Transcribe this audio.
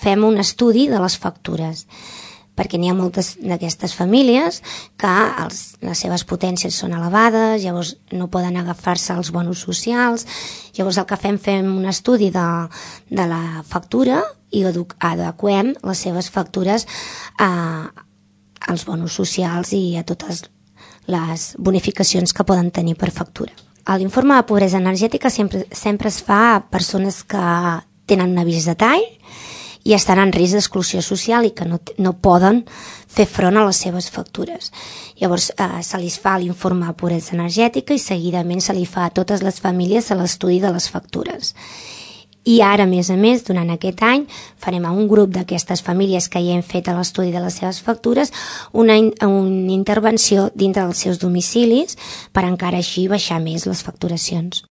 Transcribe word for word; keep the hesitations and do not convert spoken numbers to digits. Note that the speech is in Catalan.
fem un estudi de les factures, perquè n'hi ha moltes d'aquestes famílies que els, les seves potències són elevades, llavors no poden agafar-se als bonus socials, llavors el que fem, fem un estudi de, de la factura i adequem les seves factures a, als bonus socials i a totes les bonificacions que poden tenir per factura. L'informe de pobresa energètica sempre, sempre es fa a persones que tenen un avís de tall i estan en risc d'exclusió social i que no, no poden fer front a les seves factures. Llavors eh, se li fa l'informe de pobresa energètica i seguidament se li fa a totes les famílies a l'estudi de les factures. I ara, a més a més, durant aquest any, farem a un grup d'aquestes famílies que ja hem fet l'estudi de les seves factures una, una intervenció dintre dels seus domicilis per encara així baixar més les facturacions.